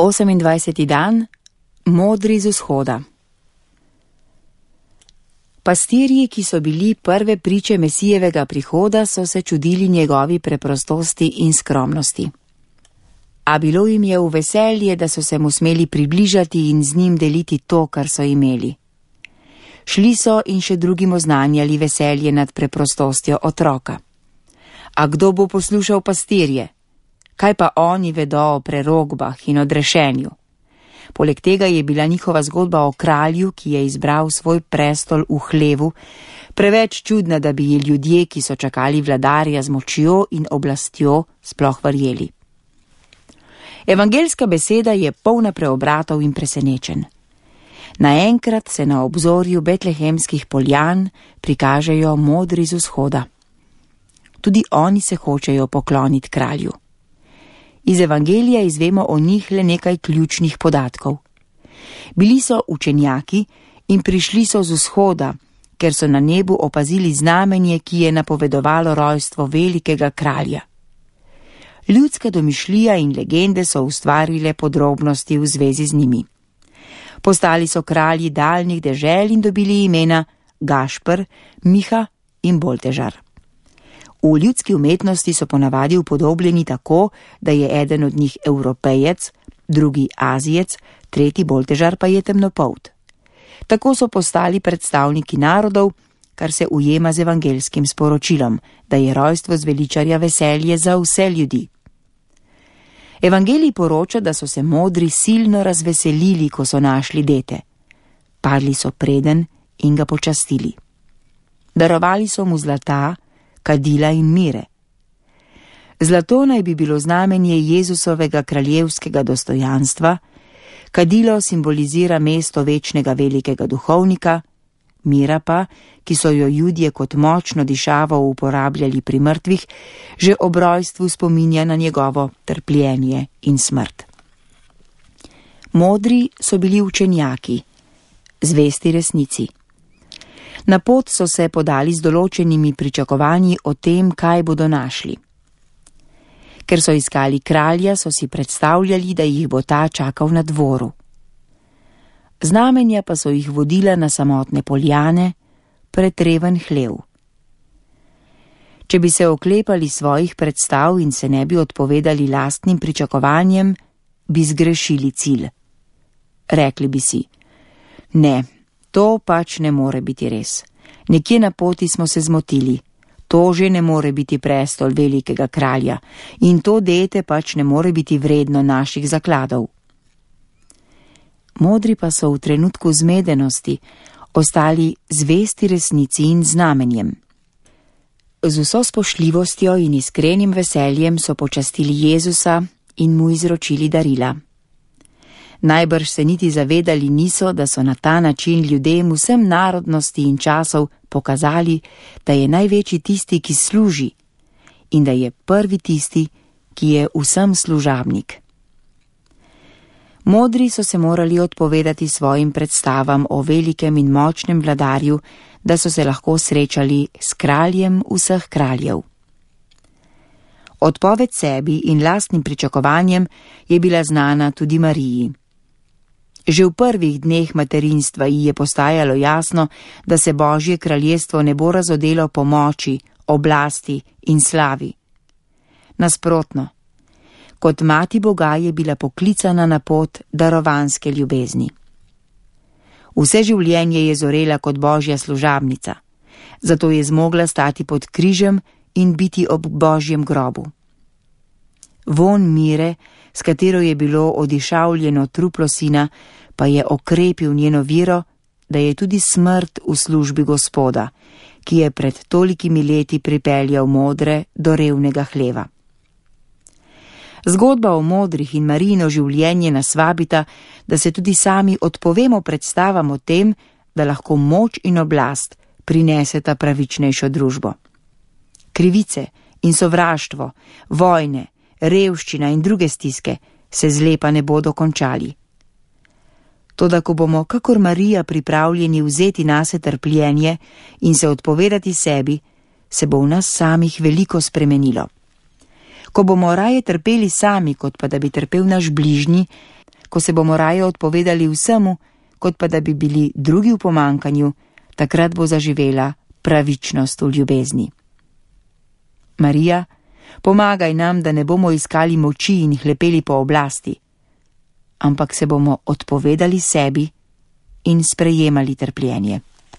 28. dan, modri z vzhoda. Pastirji, ki so bili prve priče Mesijevega prihoda, so se čudili njegovi preprostosti in skromnosti. A bilo jim je v veselje, da so se mu smeli približati in z njim deliti to, kar so imeli. Šli so in še drugim oznanjali veselje nad preprostostjo otroka. A kdo bo poslušal pastirje? Kaj pa oni vedo o prerogbah in odrešenju? Poleg tega je bila njihova zgodba o kralju, ki je izbral svoj prestol v hlevu, preveč čudna, da bi ji ljudje, ki so čakali vladarja z močjo in oblastjo, sploh verjeli. Evangeljska beseda je polna preobratov in presenečenj. Naenkrat se na obzorju betlehemskih poljan prikažejo modri z vzhoda. Tudi oni se hočejo pokloniti kralju. Iz Evangelija izvemo o njih le nekaj ključnih podatkov. Bili so učenjaki in prišli so z vzhoda, ker so na nebu opazili znamenje, ki je napovedovalo rojstvo velikega kralja. Ljudska domišljija in legende so ustvarile podrobnosti v zvezi z njimi. Postali so kralji daljnih dežel in dobili imena Gašper, Miha in Boltežar. V ljudski umetnosti so ponavadi upodobljeni tako, da je eden od njih Evropejec, drugi Azijec, tretji Boltežar pa je temnopolt. Tako so postali predstavniki narodov, kar se ujema z evangeljskim sporočilom, da je rojstvo zveličarja veselje za vse ljudi. Evangelij poroča, da so se modri silno razveselili, ko so našli dete. Padli so preden in ga počastili. Darovali so mu zlata, kadila in mire. Zlato naj bi bilo znamenje Jezusovega kraljevskega dostojanstva, kadilo simbolizira mesto večnega velikega duhovnika, mira pa, ki so jo Judje kot močno dišavo uporabljali pri mrtvih, že ob rojstvu spominja na njegovo trpljenje in smrt. Modri so bili učenjaki, zvesti resnici. Na pot so se podali z določenimi pričakovanji o tem, kaj bodo našli. Ker so iskali kralja, so si predstavljali, da jih bo ta čakal na dvoru. Znamenja pa so jih vodila na samotne poljane, pretreven hlev. Če bi se oklepali svojih predstav in se ne bi odpovedali lastnim pričakovanjem, bi zgrešili cilj. Rekli bi si, ne, to pač ne more biti res. Nekje na poti smo se zmotili. To že ne more biti prestol velikega kralja in to dete pač ne more biti vredno naših zakladov. Modri pa so v trenutku zmedenosti ostali zvesti resnici in znamenjem. Z vso spoštljivostjo in iskrenim veseljem so počastili Jezusa in mu izročili darila. Najbrž se niti zavedali niso, da so na ta način ljudem vsem narodnosti in časov pokazali, da je največji tisti, ki služi, in da je prvi tisti, ki je vsem služabnik. Modri so se morali odpovedati svojim predstavam o velikem in močnem vladarju, da so se lahko srečali s kraljem vseh kraljev. Odpoved sebi in lastnim pričakovanjem je bila znana tudi Mariji. Že v prvih dneh materinstva ji je postajalo jasno, da se Božje kraljestvo ne bo razodelo po moči, oblasti in slavi. Nasprotno, kot mati Boga je bila poklicana na pot darovanske ljubezni. Vse življenje je zorela kot Božja služabnica, zato je zmogla stati pod križem in biti ob Božjem grobu. Vonj mire, s katero je bilo odišavljeno truplo sina, pa je okrepil njeno vero, da je tudi smrt v službi Gospoda, ki je pred tolikimi leti pripeljal modre do revnega hleva. Zgodba o modrih in Marijino življenje nas vabita, da se tudi sami odpovemo predstavam o tem, da lahko moč in oblast prineseta pravičnejšo družbo. Krivice in sovraštvo, vojne, revščina in druge stiske se zlepa ne bodo končali. Toda ko bomo kakor Marija pripravljeni vzeti nase trpljenje in se odpovedati sebi, se bo v nas samih veliko spremenilo. Ko bomo raje trpeli sami, kot pa da bi trpel naš bližnji, ko se bomo raje odpovedali vsemu, kot pa da bi bili drugi v pomankanju, takrat bo zaživela pravičnost v ljubezni. Marija, pomagaj nam, da ne bomo iskali moči in hlepeli po oblasti, ampak se bomo odpovedali sebi in sprejemali trpljenje.